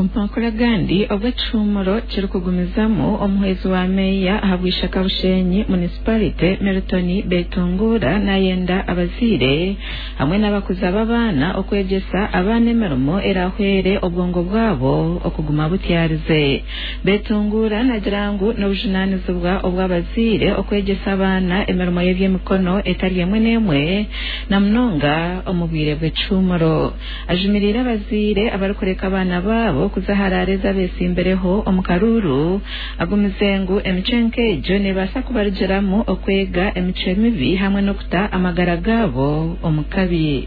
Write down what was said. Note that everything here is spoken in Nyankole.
Omu makuru agandi, obwo ekihuumuro kirikugumizamu, omuhwezi wa meeya ahabwa Ishaka Bushenyi Municipality, Milton Betungura nayenda abazaire hamwe n'abakuza b'abaana okwegyesa abaana emirimo erahwere obwongo bwabo okuguma butyarize. Betungura nagira ngu n'obujunaanizibwa obw'abazaire okwegyesa abaana emirimo y'eby'emikono etari emwe n'emwe na munonga omu bwire bw'ekihuumuro. Ajumiriire abazaire abarikureka abaana baabo kuza aha raara ezi abeetsimbireho omu karuuru, agumize ngu emicwe nk'egyo neebaasa kubarugiramu okwega emicwe mibi hamwe n'okuta amagara gaabo omu kabi.